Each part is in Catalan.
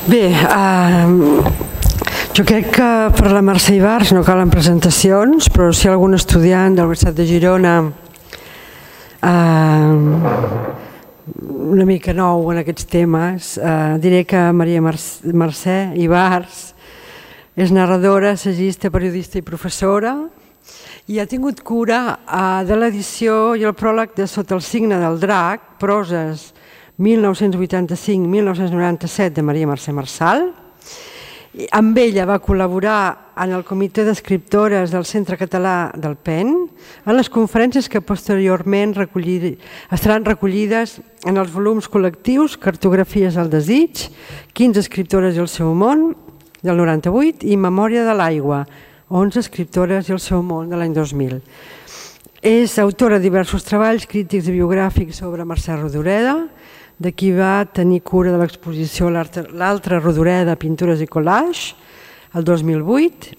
Bé, jo crec que per la Mercè Ibarz no calen presentacions, però si hi ha algun estudiant de la Universitat de Girona una mica nou en aquests temes, diré que Maria Mercè Ibarz és narradora, assagista, periodista i professora, i ha tingut cura de l'edició i el pròleg de Sota el signe del drac, proses 1985-1997 de Maria Mercè Marçal. Amb ella va col·laborar en el comitè d'escriptores del Centre Català del PEN, en les conferències que posteriorment estaran recollides en els volums col·lectius Cartografies al desig, 15 escriptores i el seu món, del 98, i Memòria de l'aigua, 11 escriptores i el seu món, de l'any 2000. És autora de diversos treballs crítics i biogràfics sobre Mercè Rodoreda, de qui va tenir cura de l'exposició L'altra Rodoreda, Pintures i Collage, el 2008,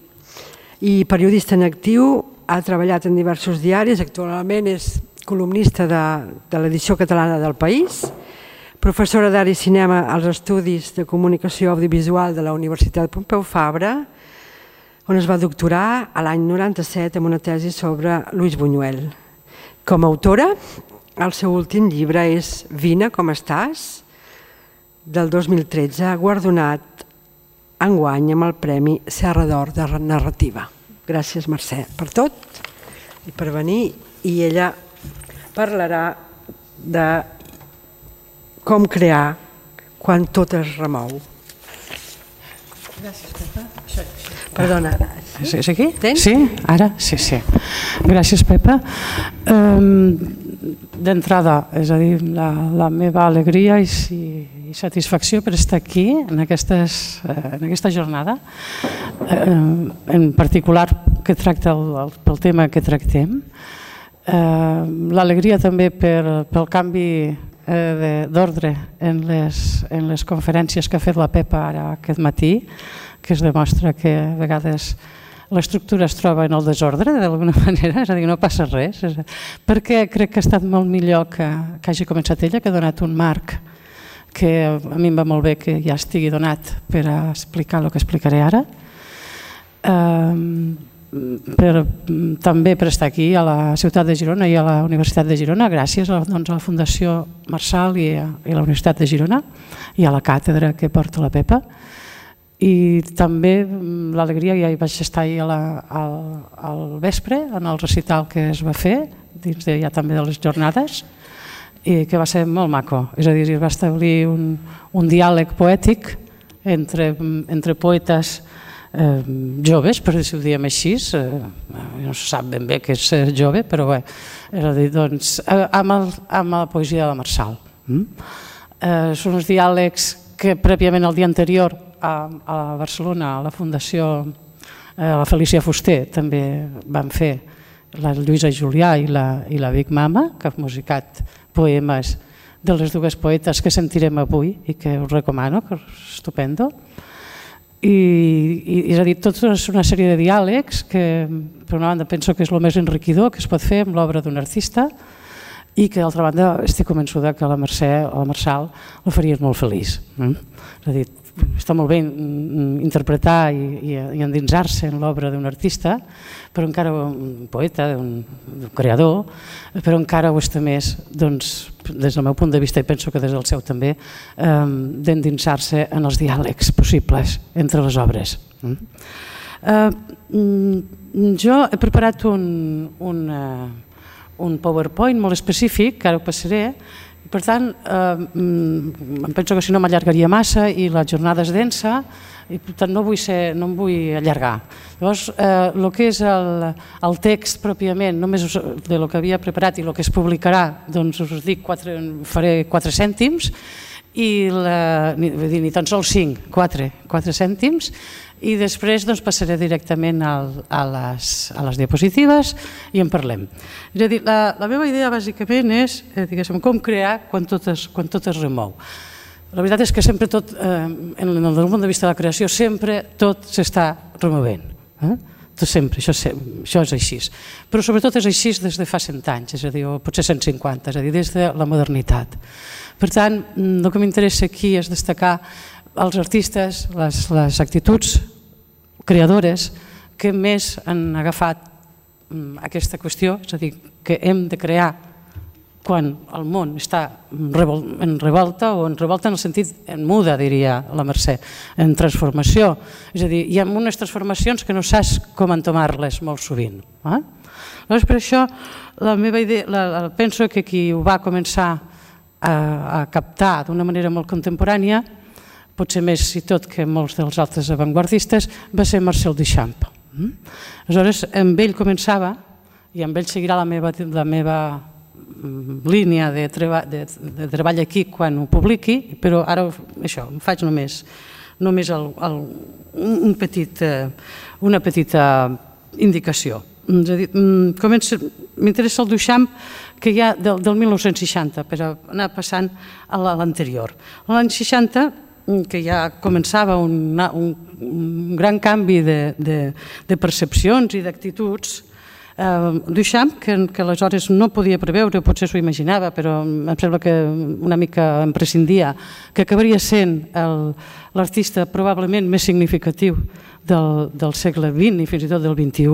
i periodista en actiu, ha treballat en diversos diaris, actualment és columnista de l'edició catalana del País, professora d'art i cinema als Estudis de Comunicació Audiovisual de la Universitat Pompeu Fabra, on es va doctorar a l'any 97 amb una tesi sobre Luis Buñuel. Com a autora, el seu últim llibre és Vine, com estàs?, del 2013, guardonat enguany amb el Premi Serra d'Or de Narrativa. Gràcies, Mercè, per tot i per venir, i ella parlarà de com crear quan tot es remou. Gràcies, Pepa. Perdona. És aquí? Tens? Sí, ara? Sí. Gràcies, Pepa. D'entrada, és a dir, la meva alegria i satisfacció per estar aquí en aquesta jornada, en particular que tracta pel tema que tractem. L'alegria també pel canvi d'ordre en les conferències que ha fet la Pepa ara aquest matí, que es demostra que a vegades l'estructura es troba en el desordre d'alguna manera, és a dir, no passa res, perquè crec que ha estat molt millor que hagi començat ella, que ha donat un marc que a mi em va molt bé que ja estigui donat per a explicar el que explicaré ara. També per estar aquí a la ciutat de Girona i a la Universitat de Girona, gràcies a la Fundació Marçal i a la Universitat de Girona i a la càtedra que porta la Pepa. I també l'alegria, ja hi vaig estar ahir al vespre en el recital que es va fer dins ja també de les jornades, i que va ser molt maco, és a dir, es va establir un diàleg poètic entre poetes joves, per dir-ho diem així, no se sap ben bé què és ser jove, però bé, és a dir, doncs, amb la poesia de la Marçal. Són uns diàlegs que prèviament el dia anterior a Barcelona, a la Fundació, la Felícia Fuster, també van fer la Lluïsa Julià i la Big Mama, que ha musicat poemes de les dues poetes que sentirem avui i que us recomano, que és estupendo. I és a dir, tota una sèrie de diàlegs que, per una banda, penso que és el més enriquidor que es pot fer amb l'obra d'un artista i que, d'altra banda, estic convençuda que la Mercè o la Marçal la faries molt feliç. És a dir, està molt bé interpretar i endinsar-se en l'obra d'un artista, però encara un poeta, un creador, però encara ho està més, des del meu punt de vista, i penso que des del seu també, d'endinsar-se en els diàlegs possibles entre les obres. Jo he preparat un PowerPoint molt específic, que ara ho passaré. Per tant, em penso que si no m'allargaria massa i la jornada és densa i per tant no em vull allargar. Llavors, el que és el text pròpiament, només del que havia preparat i el que es publicarà, doncs us dic, faré 4 cèntims, ni tan sols 5, 4 cèntims, i després passaré directament a les diapositives i en parlem. És a dir, la meva idea bàsicament és com crear quan tot es remou. La veritat és que sempre tot, des del punt de vista de la creació, sempre tot s'està removent. Tot sempre, això és així. Però sobretot és així des de fa 100 anys, és a dir, o potser 150, és a dir, des de la modernitat. Per tant, el que m'interessa aquí és destacar els artistes, les actituds creadores que més han agafat aquesta qüestió, és a dir, que hem de crear quan el món està en revolta, o en revolta en el sentit en muda, diria la Mercè, en transformació. És a dir, hi ha unes transformacions que no saps com entomar-les molt sovint. Llavors, per això, la meva idea, penso que qui ho va començar a captar d'una manera molt contemporània, potser més i tot que molts dels altres avantguardistes, va ser Marcel Duchamp. Aleshores, amb ell començava, i amb ell seguirà la meva línia de treball aquí quan ho publiqui, però ara això, em faig només una petita indicació. M'interessa el Duchamp que hi ha del 1960, per anar passant a l'anterior. L'any 60, que ja començava un gran canvi de percepcions i d'actituds, Duchamp, que aleshores no podia preveure, potser s'ho imaginava, però em sembla que una mica em prescindia, que acabaria sent l'artista probablement més significatiu del segle XX i fins i tot del XXI,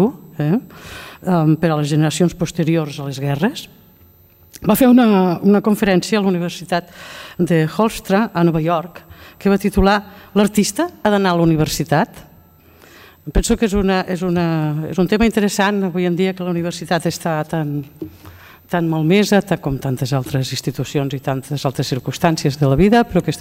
per a les generacions posteriors a les guerres. Va fer una conferència a la Universitat de Hofstra, a Nova York, que va titular "L'artista ha d'anar a la universitat". Penso que és un tema interessant avui en dia, que la universitat està tan malmesa com tantes altres institucions i tantes altres circumstàncies de la vida, però que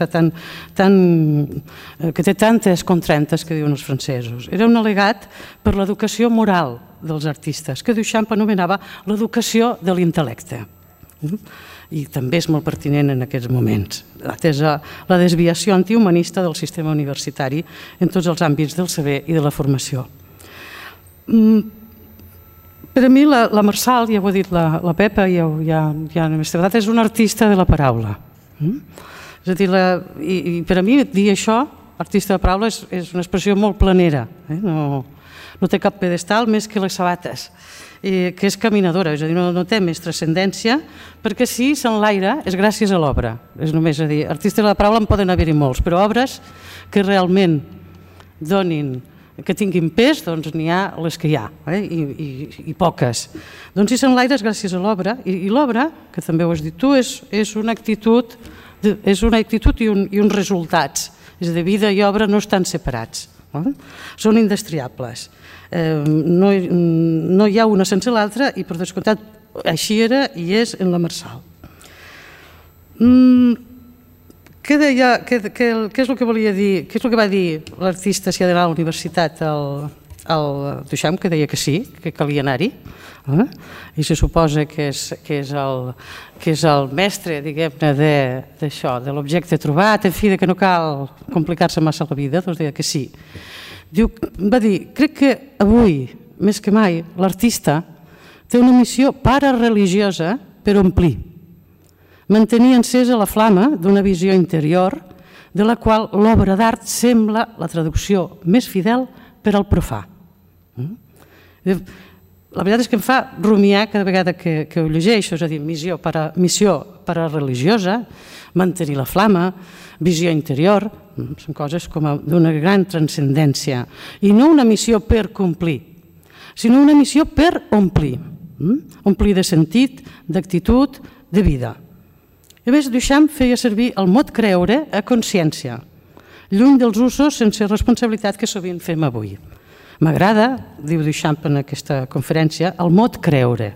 té tantes contrantes, que diuen els francesos. Era un al·legat per l'educació moral dels artistes, que Duchamp anomenava l'educació de l'intel·lecte. I també és molt pertinent en aquests moments, atesa la desviació antihumanista del sistema universitari en tots els àmbits del saber i de la formació. Per a mi, la Marçal, ja ho ha dit la Pepa, és una artista de la paraula. És a dir, i per a mi dir això, artista de paraula, és una expressió molt planera, no té cap pedestal més que les sabates, que és caminadora, és a dir, no té més transcendència, perquè si s'enlaira és gràcies a l'obra. És només a dir, artistes de la paraula en poden haver-hi molts, però obres que realment que tinguin pes, doncs n'hi ha les que hi ha, i poques. Doncs si s'enlaira és gràcies a l'obra, i l'obra, que també ho has dit tu, és una actitud i uns resultats. És a dir, vida i obra no estan separats, són indestriables. No hi ha una sense l'altra, i per descomptat així era i és en la Marçal. Què és el que volia dir? Què és el que va dir l'artista si ha d'anar a la universitat, el Duchamp, que deia que sí, que calia anar-hi, i se suposa que és el mestre, diguem-ne, d'això, de l'objecte trobat, en fi, que no cal complicar-se massa la vida, doncs deia que sí. Va dir, crec que avui, més que mai, l'artista té una missió parareligiosa per omplir, mantenir encesa la flama d'una visió interior de la qual l'obra d'art sembla la traducció més fidel per al profà. La veritat és que em fa rumiar cada vegada que ho llegeixo, és a dir, missió parareligiosa, mantenir la flama, visió interior, són coses com d'una gran transcendència, i no una missió per complir, sinó una missió per omplir de sentit, d'actitud, de vida. A més, Duchamp feia servir el mot creure a consciència, lluny dels usos sense responsabilitat que sovint fem avui. M'agrada, diu Duchamp en aquesta conferència, el mot creure.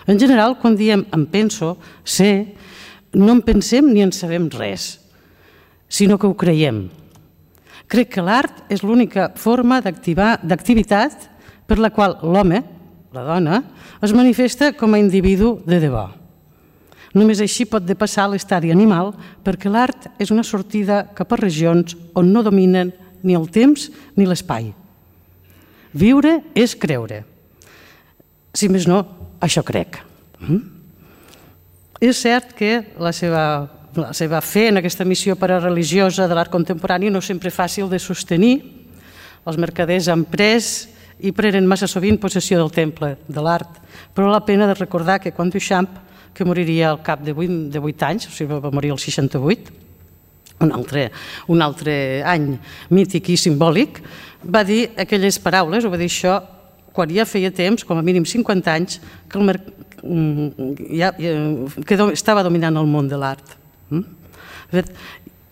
En general, quan diem em penso, sé, no en pensem ni en sabem res, sinó que ho creiem. Crec que l'art és l'única forma d'activitat per la qual l'home, la dona, es manifesta com a individu de debò. Només així pot depassar l'estadi animal, perquè l'art és una sortida cap a regions on no dominen ni el temps ni l'espai. Viure és creure. Si més no, això crec. És cert que la seva fe en aquesta missió parareligiosa de l'art contemporani no sempre és fàcil de sostenir. Els mercaders han pres i prenen massa sovint possessió del temple de l'art, però val la pena de recordar que quan Duchamp, que moriria al cap de 8 anys, o sigui, va morir al 68, un altre any mític i simbòlic, va dir aquelles paraules, o va dir això, quan ja feia temps, com a mínim 50 anys, que estava dominant el món de l'art.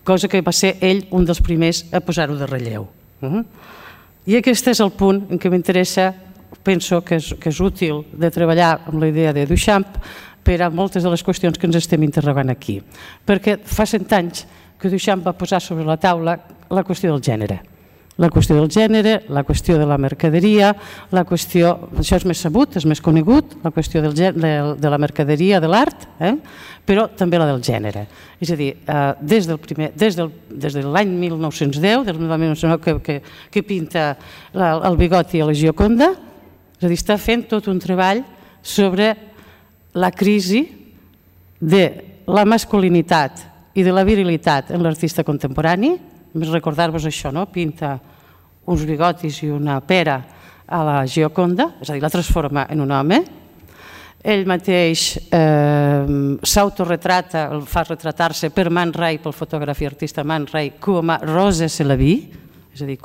Cosa que va ser ell un dels primers a posar-ho de relleu. I aquest és el punt en què m'interessa, penso que és útil de treballar amb la idea de Duchamp per a moltes de les qüestions que ens estem interrogant aquí. Perquè fa 100 anys que Duchamp va posar sobre la taula la qüestió del gènere. La qüestió del gènere, la qüestió de la mercaderia, la qüestió, això és més sabut, és més conegut, la qüestió de la mercaderia, de l'art, però també la del gènere. És a dir, des de l'any 1910, que pinta el Bigoti a la Gioconda, és a dir, està fent tot un treball sobre la crisi de la masculinitat i de la virilitat en l'artista contemporani. Més recordar-vos això, no? Pinta uns bigotis i una pera a la Gioconda, és a dir, la transforma en un home. Ell mateix s'autoretrata, fa retratar-se per Man Ray, pel fotògraf i artista Man Ray, com a Rose Selavy, és a dir,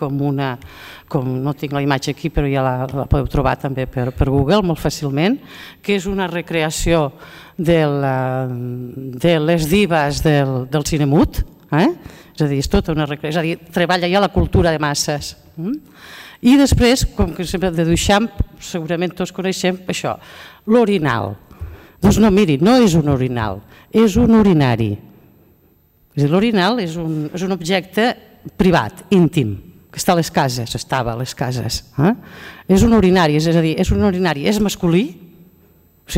no tinc la imatge aquí, però ja la podeu trobar també per Google molt fàcilment, que és una recreació de les divas del cine mut, és a dir, és tota una recreació, és a dir, treballa ja la cultura de masses. I després, com que sempre de Duchamp, segurament tots coneixem això, l'orinal. Doncs no, miri, no és un orinal, és un urinari. És a dir, l'orinal és un objecte privat, íntim, que està a les cases, estava a les cases. És un urinari, és a dir, és un urinari, és masculí,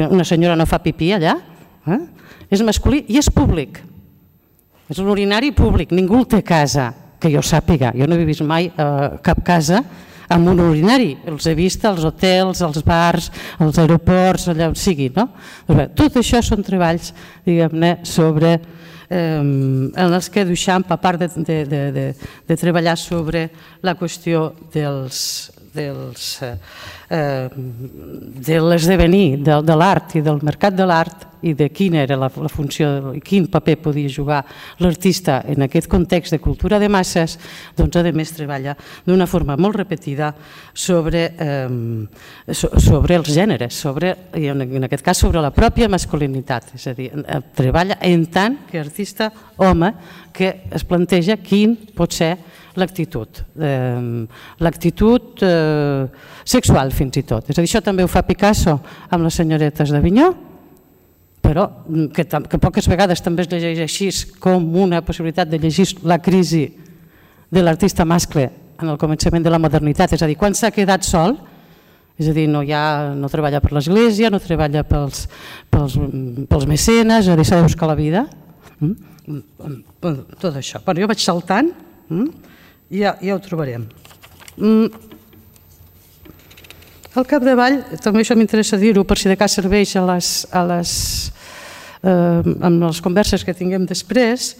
una senyora no fa pipí allà, és masculí i és públic. És un urinari públic, ningú el té a casa, que jo sàpiga. Jo no he vist mai cap casa amb un urinari. Els he vist als hotels, als bars, als aeroports, allà on sigui. Tot això són treballs, diguem-ne, sobre en els que Duchamp, a part de treballar sobre la qüestió de l'esdevenir de l'art i del mercat de l'art i de quina era la funció i quin paper podia jugar l'artista en aquest context de cultura de masses, doncs a més treballa d'una forma molt repetida sobre els gèneres, i en aquest cas sobre la pròpia masculinitat, és a dir, treballa en tant que artista home que es planteja quin pot ser l'actitud sexual fins i tot. És a dir, això també ho fa Picasso amb les senyoretes d'Avinyó, però que poques vegades també es llegeix així com una possibilitat de llegir la crisi de l'artista mascle en el començament de la modernitat, és a dir, quan s'ha quedat sol, és a dir, no treballa per l'església, no treballa pels mecenes, és a dir, s'ha de buscar la vida, tot això. Jo vaig saltant i ja ho trobarem. Al capdavall, també això m'interessa dir-ho per si de cas serveix amb les converses que tinguem després,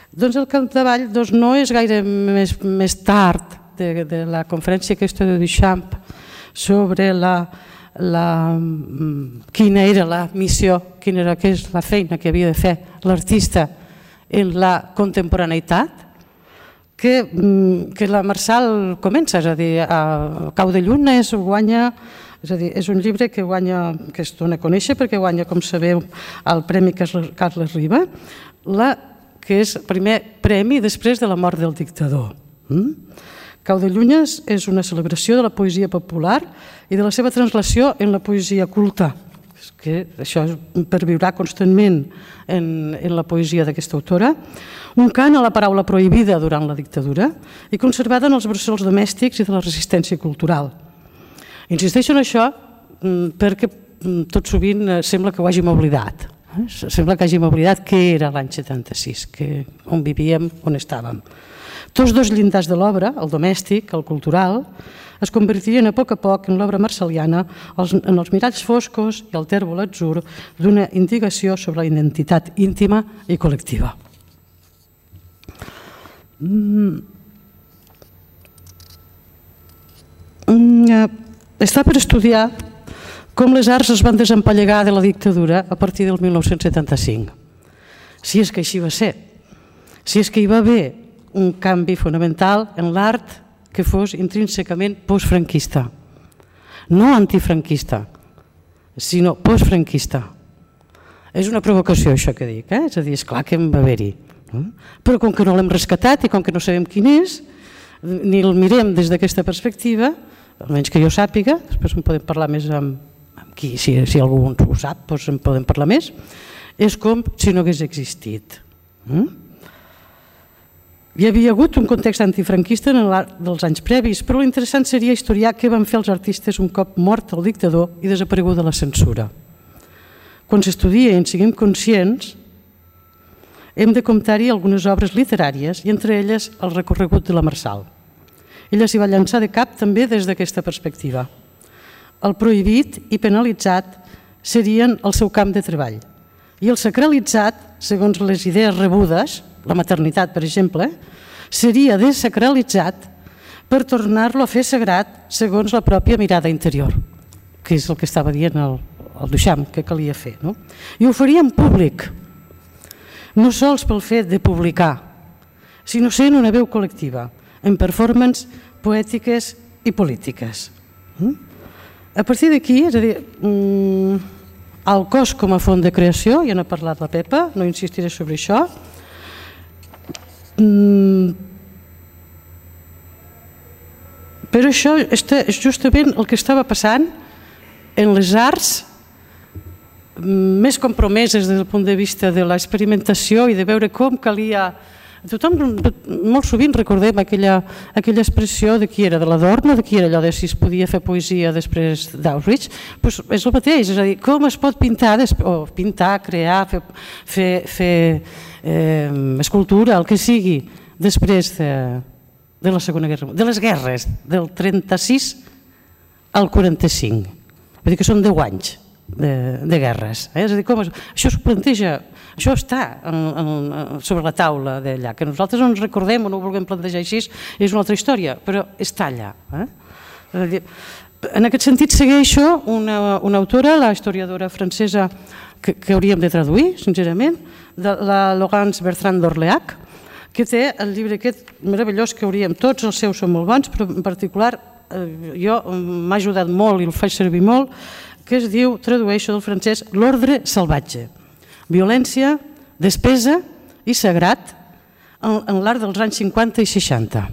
doncs el capdavall no és gaire més tard de la conferència aquesta de Duchamp sobre quina era la missió, quina és la feina que havia de fer l'artista en la contemporaneïtat, que la Marçal comença, és a dir, a Cau de Lluna guanya, és a dir, és un llibre que es dona a conèixer perquè guanya, com sabeu, el Premi Carles Riba, que és el primer premi després de la mort del dictador. Cau de Llunes és una celebració de la poesia popular i de la seva translació en la poesia culta, que això perviurà constantment en la poesia d'aquesta autora, un cant a la paraula prohibida durant la dictadura i conservada en els bressols domèstics i de la resistència cultural. Insisteixo en això perquè tot sovint sembla que ho hàgim oblidat. Sembla que hàgim oblidat què era l'any 76, on vivíem, on estàvem. Tots dos llindars de l'obra, el domèstic, el cultural, es convertirien a poc en l'obra marceliana en els miralls foscos i el tèrbol atzur d'una indagació sobre la identitat íntima i col·lectiva. Està per estudiar com les arts es van desempallegar de la dictadura a partir del 1975. Si és que així va ser. si és que hi va haver un canvi fonamental en l'art que fos intrínsecament postfranquista, no antifranquista, sinó postfranquista. És una provocació això que dic, és a dir, esclar que en va haver-hi, però com que no l'hem rescatat i com que no sabem quin és, ni el mirem des d'aquesta perspectiva, almenys que jo sàpiga, després en podem parlar més amb qui, si algú ho sap, doncs en podem parlar més, és com si no hagués existit. Hi havia hagut un context antifranquista en l'art dels anys previs, però l'interessant seria historiar què van fer els artistes un cop mort el dictador i desapareguda la censura. Quan s'estudia i en siguem conscients, hem de comptar-hi algunes obres literàries i entre elles el recorregut de la Marçal. Ella s'hi va llançar de cap també des d'aquesta perspectiva. El prohibit i penalitzat serien el seu camp de treball i el sacralitzat, segons les idees rebudes, la maternitat per exemple, seria desacralitzat per tornar-lo a fer sagrat segons la pròpia mirada interior, que és el que estava dient el Duchamp que calia fer. I ho faria en públic, no sols pel fet de publicar, sinó sent una veu col·lectiva, en performances poètiques i polítiques. A partir d'aquí, és a dir, el cos com a font de creació, ja n'ha parlat la Pepa, no insistiré sobre això, però això és justament el que estava passant en les arts més compromeses des del punt de vista de l'experimentació i de veure com calia. Tothom, molt sovint recordem aquella expressió de qui era, de l'Adorno, de qui era allò de si es podia fer poesia després d'Auschwitz, doncs és el mateix, és a dir, com es pot pintar, crear, fer escultura, el que sigui, després de la Segona Guerra Mundial, de les guerres, del 36 al 45, vull dir que són 10 anys de guerres. És a dir, això es planteja, això està sobre la taula d'allà, que nosaltres no ens recordem o no ho vulguem plantejar així, és una altra història, però està allà. En aquest sentit segueixo una autora, la historiadora francesa que hauríem de traduir, sincerament, la Laurence Bertrand d'Orléac, que té el llibre aquest meravellós que hauríem, tots els seus són molt bons, però en particular m'ha ajudat molt i el faig servir molt, que es diu, tradueixo del francès, L'ordre salvatge. Violència, despesa i sagrat en l'art dels anys 50 i 60.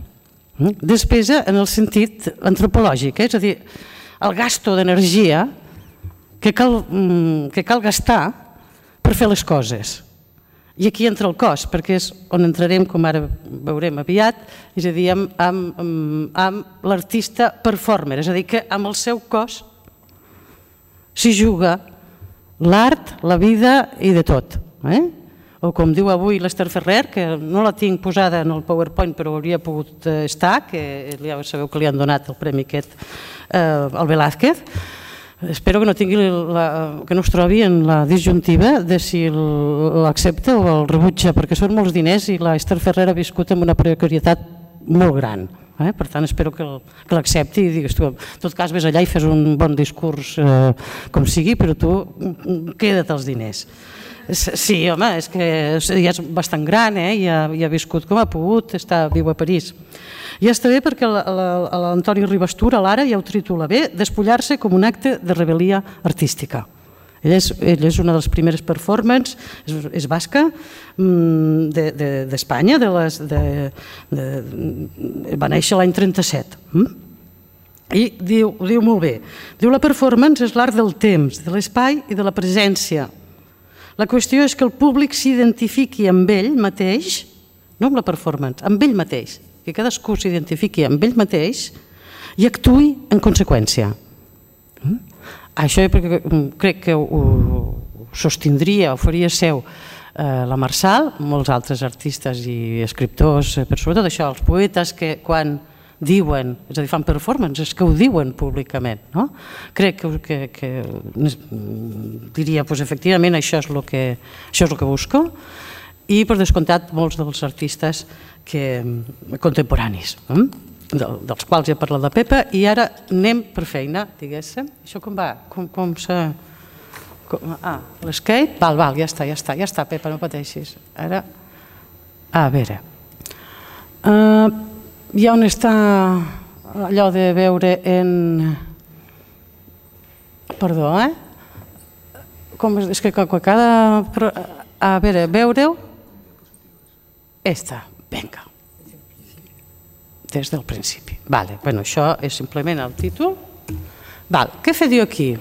Despesa en el sentit antropològic, és a dir, el gasto d'energia que cal gastar per fer les coses. I aquí entra el cos, perquè és on entrarem, com ara veurem aviat, és a dir, amb l'artista performer, és a dir, que amb el seu cos s'hi juga l'art, la vida i de tot. O com diu avui l'Ester Ferrer, que no la tinc posada en el PowerPoint però hauria pogut estar, que ja sabeu que li han donat el premi aquest al Velázquez. Espero que no es trobi en la disjuntiva de si l'accepta o el rebutja, perquè són molts diners i l'Ester Ferrer ha viscut amb una precarietat molt gran. Per tant, espero que l'accepti i digues tu, en tot cas ves allà i fes un bon discurs com sigui, però tu queda't els diners. Sí, home, és que ja és bastant gran, ja ha viscut com ha pogut, viu a París. Ja està bé perquè l'Antoni Ribastura, l'ara, ja ho titula bé, despullar-se com un acte de rebel·lia artística. Ella és una de les primeres performances, és basca, d'Espanya, va néixer l'any 37. I diu molt bé, diu la performance és l'art del temps, de l'espai i de la presència. La qüestió és que el públic s'identifiqui amb ell mateix, no amb la performance, amb ell mateix, que cadascú s'identifiqui amb ell mateix i actuï en conseqüència. Això crec que ho sostindria, ho faria seu la Marçal, molts altres artistes i escriptors, però sobretot això, els poetes que quan diuen, és a dir, fan performances, que ho diuen públicament. Crec que diria, efectivament, això és el que busco, i per descomptat molts dels artistes contemporanis, dels quals ja ha parlat la Pepa, i ara anem per feina, diguéssim. Això com va? L'escape? Val, ja està, Pepa, no pateixis. Ara A veure, hi ha on està allò de veure en... Perdó, és que cada... A veure, veure-ho... Esta, vinga. Des del principi. Vale, bueno, això és simplement el títol. Val, què fe diu aquí?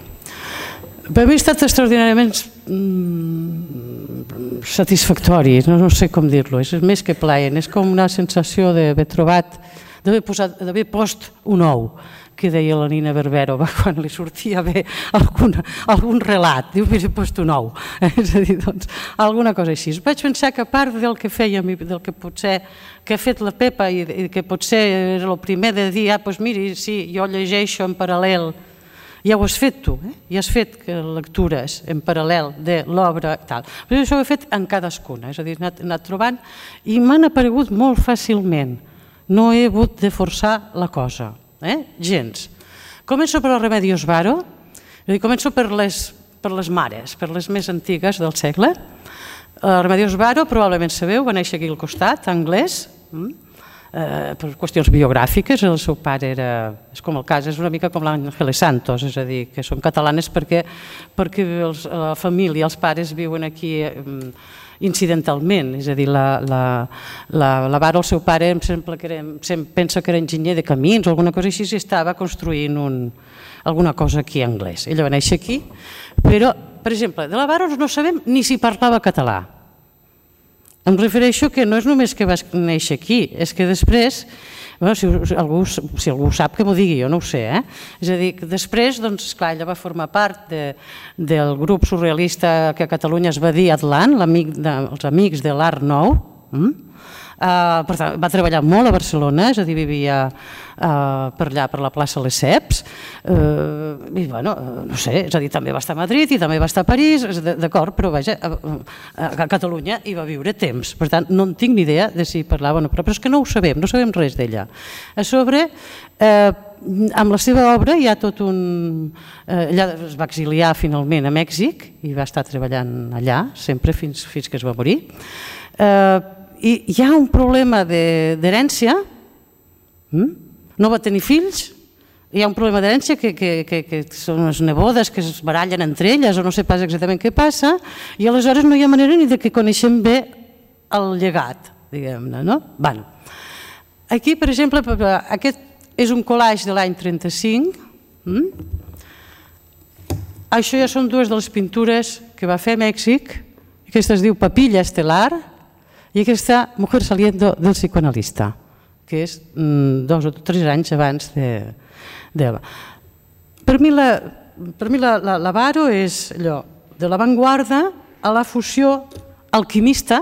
Per mi ha estat extraordinàriament satisfactori, no sé com dir-lo, és més que plaent, és com una sensació d'haver trobat, d'haver post un ou, que deia la Nina Barbero quan li sortia bé algun relat, diu, mira, he post un ou, és a dir, doncs, alguna cosa així. Vaig pensar que a part del que fèiem i del que potser que ha fet la Pepa i que potser era el primer de dir, doncs miri, sí, jo llegeixo en paral·lel, ja ho has fet tu, ja has fet lectures en paral·lel de l'obra i tal. Però això ho he fet en cadascuna, és a dir, he anat trobant i m'han aparegut molt fàcilment. No he hagut de forçar la cosa, gens. Començo per el Remedios Varo, començo per les mares, per les més antigues del segle. Remedios Varo, probablement sabeu, va néixer aquí al costat, anglès, per qüestions biogràfiques. El seu pare era, és com el cas, és una mica com l'Ángeles Santos, és a dir, que són catalanes perquè la família, els pares viuen aquí incidentalment, és a dir, la Varo, el seu pare, pensa que era enginyer de camins o alguna cosa així, i estava construint alguna cosa aquí en anglès. Ella va néixer aquí, però, per exemple, de la Varo no sabem ni si parlava català. Em refereixo que no és només que vas néixer aquí, és que després, si algú sap que m'ho digui, jo no ho sé, és a dir, que després, doncs, esclar, ella va formar part del grup surrealista que a Catalunya es va dir Atlant, els amics de l'Art Nou. Per tant, va treballar molt a Barcelona, és a dir, vivia per allà, per la plaça Lesseps, i bueno, no sé, és a dir, també va estar a Madrid i també va estar a París, d'acord, però vaja, a Catalunya hi va viure temps, per tant, no en tinc ni idea de si parlava o no, però és que no ho sabem, no sabem res d'ella. A sobre, amb la seva obra hi ha tot un... Ella es va exiliar finalment a Mèxic i va estar treballant allà, sempre fins que es va morir. I hi ha un problema d'herència, no va tenir fills, hi ha un problema d'herència que són unes nebodes que es barallen entre elles o no sé pas exactament què passa, i aleshores no hi ha manera ni que coneixem bé el llegat, diguem-ne, no? Bueno, aquí, per exemple, aquest és un collage de l'any 35, això ja són dues de les pintures que va fer a Mèxic, aquesta es diu Papilla Estelar, i aquesta Mujer saliendo del psicoanalista, que és 2 o 3 anys abans de... Per mi la Varo és allò, de l'avantguarda a la fusió alquimista,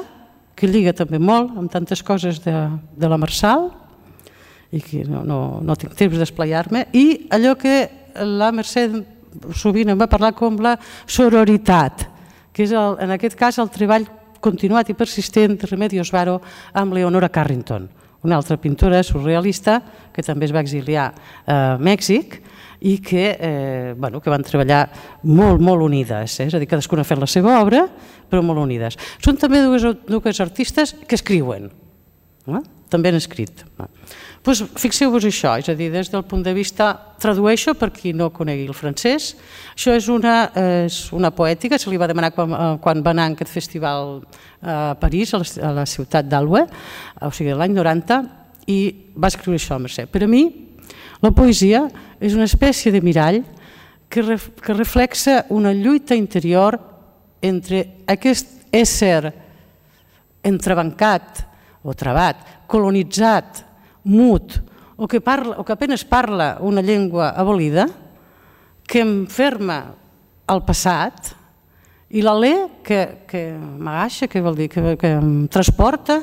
que lliga també molt amb tantes coses de la Marçal, i que no tinc temps d'esplaiar-me, i allò que la Mercè sovint em va parlar com la sororitat, que és en aquest cas el treball continuat i persistent de Remedios Varo amb Leonora Carrington, una altra pintora surrealista que també es va exiliar a Mèxic i que van treballar molt, molt unides, és a dir, cadascuna ha fet la seva obra, però molt unides. Són també dues artistes que escriuen, també han escrit. Fixeu-vos això, és a dir, des del punt de vista, tradueixo per qui no conegui el francès, això és una poètica, se li va demanar quan va anar a aquest festival a París, a la ciutat d'Alwe, o sigui, l'any 90, i va escriure això, Mercè. Per a mi, la poesia és una espècie de mirall que reflexa una lluita interior entre aquest ésser entrebancat o trabat, colonitzat, mut, o que apenas parla una llengua abolida, que enferma el passat, i l'alè que m'agaixa, que vol dir que em transporta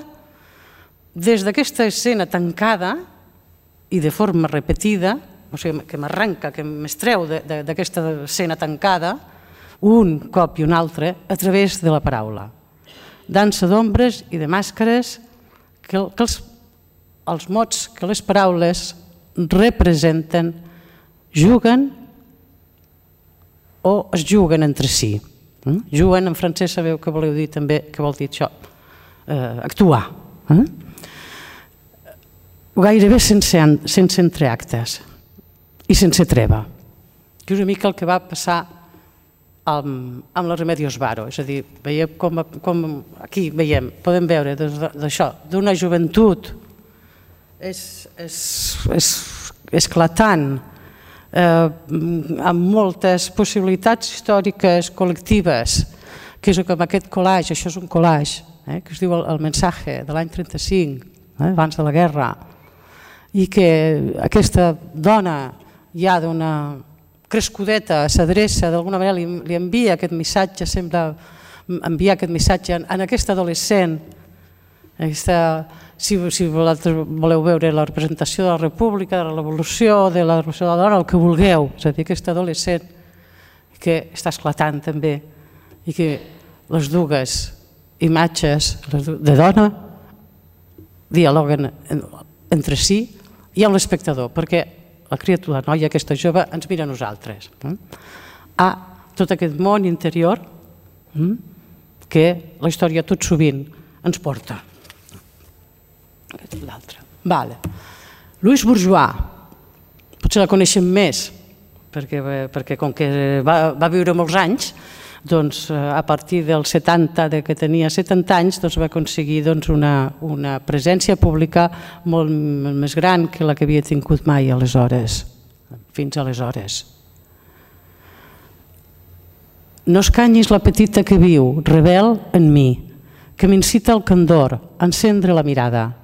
des d'aquesta escena tancada i de forma repetida, o sigui, que m'arranca, que m'estreu d'aquesta escena tancada, un cop i un altre, a través de la paraula. Dansa d'ombres i de màscares que els mots que les paraules representen juguen o es juguen entre si. Juguen, en francès sabeu que voleu dir també, que vol dir això, actuar. Gairebé sense entreactes i sense treva, que és una mica el que va passar amb la Remedios Varo. És a dir, veiem com aquí podem veure d'això, d'una joventut esclatant, amb moltes possibilitats històriques col·lectives, que és com aquest collage, això és un collage, que es diu El mensaje, de l'any 35, abans de la guerra, i que aquesta dona ja d'una crescudeta s'adreça, d'alguna manera li envia aquest missatge, sembla enviar aquest missatge en aquest adolescent. Si voleu veure la representació de la República, de la Revolució, de la Revolució de la Dona, el que vulgueu, és a dir, aquest adolescent que està esclatant també i que les dues imatges de dona dialoguen entre si i amb l'espectador, perquè la criatura, la noia, aquesta jove, ens mira a nosaltres. Tot aquest món interior que la història tot sovint ens porta. L'altre. Louise Bourgeois, potser la coneixem més, perquè com que va viure molts anys, doncs a partir dels 70, que tenia 70 anys, va aconseguir una presència pública molt més gran que la que havia tingut mai aleshores, fins aleshores. No escanyis la petita que viu, rebel en mi, que m'incita al candor, a encendre la mirada,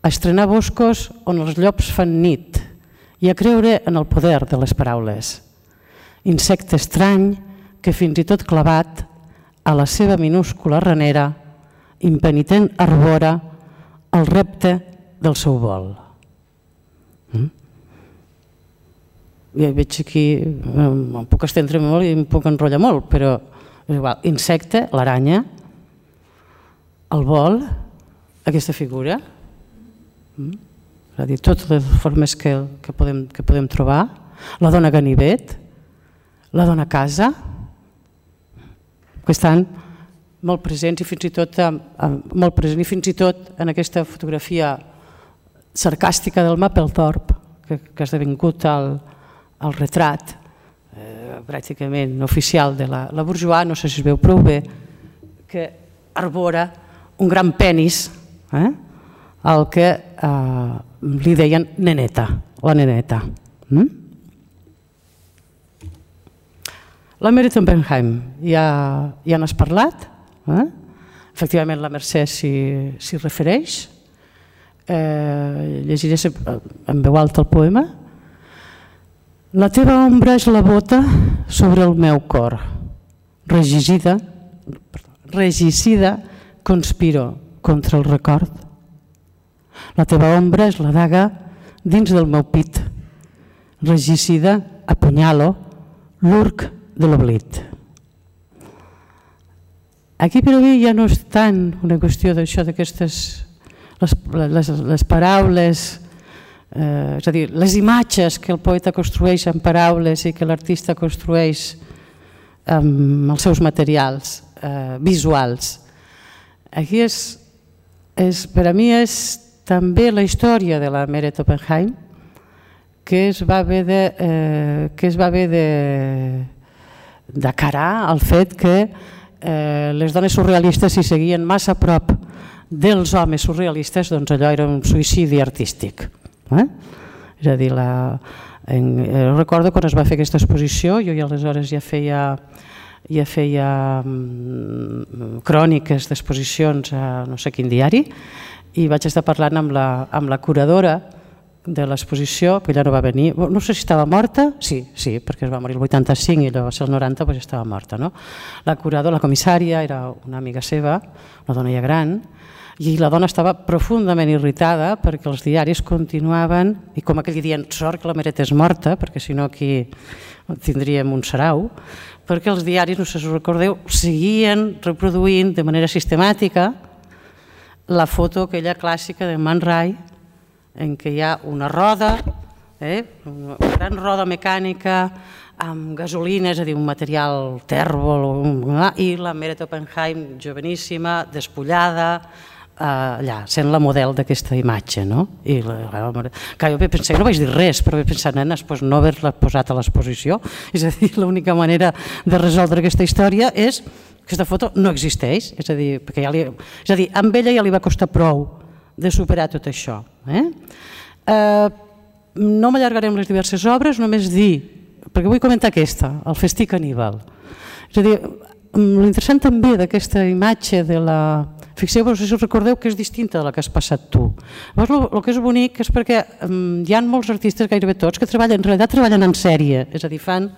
a estrenar boscos on els llops fan nit i a creure en el poder de les paraules. Insecte estrany que fins i tot clavat a la seva minúscula ranera, impenitent arbora el repte del seu vol. Ja veig aquí, em puc estendre molt i em puc enrotllar molt, però és igual. Insecte, l'aranya, el vol, aquesta figura, és a dir, totes les formes que podem trobar, la dona ganivet, la dona casa, que estan molt presents i fins i tot en aquesta fotografia sarcàstica del Mapplethorpe, que ha esdevingut el retrat pràcticament oficial de la Bourgeois, no sé si es veu prou bé, que arbora un gran penis, el que li deien neneta, la neneta. La Meret Oppenheim, ja n'has parlat, efectivament la Mercè s'hi refereix, llegiré en veu alta el poema. La teva ombra és la bota sobre el meu cor, regicida conspiro contra el record. La teva ombra és la daga dins del meu pit, regicida apunyalo l'urc de l'oblit. Aquí per a mi ja no és tant una qüestió d'això, d'aquestes les paraules, és a dir, les imatges que el poeta construeix amb paraules i que l'artista construeix amb els seus materials visuals. Aquí per a mi és també la història de la Meret Oppenheim, que es va haver d'acarar el fet que les dones surrealistes si seguien massa a prop dels homes surrealistes, doncs allò era un suïcidi artístic. És a dir, recordo quan es va fer aquesta exposició, jo aleshores ja feia cròniques d'exposicions a no sé quin diari i vaig estar parlant amb la curadora de l'exposició, que ella no va venir, no sé si estava morta, sí, perquè es va morir el 85 i llavors el 90 estava morta. La curadora, la comissària, era una amiga seva, una dona ja gran, i la dona estava profundament irritada perquè els diaris continuaven, i com aquell dient, sort que la Meret és morta, perquè si no aquí tindríem un sarau, perquè els diaris, no sé si us recordeu, seguien reproduint de manera sistemàtica la foto aquella clàssica de Man Ray, en què hi ha una roda, una gran roda mecànica amb gasolina, és a dir, un material tèrbol, i la Meret Oppenheim joveníssima, despullada, allà, sent la model d'aquesta imatge, no? I jo pensé, no vaig dir res, però vaig pensar, nenes, no haver-la posat a l'exposició, és a dir, l'única manera de resoldre aquesta història és que aquesta foto no existeix, és a dir, amb ella ja li va costar prou de superar tot això. No m'allargaré amb les diverses obres, només dir, perquè vull comentar aquesta, el Festí Caníbal. És a dir, l'interessant també d'aquesta imatge de la... Fixeu-vos, si us recordeu que és distinta de la que has passat tu. Llavors, el que és bonic és perquè hi ha molts artistes, gairebé tots, que en realitat treballen en sèrie, és a dir, fan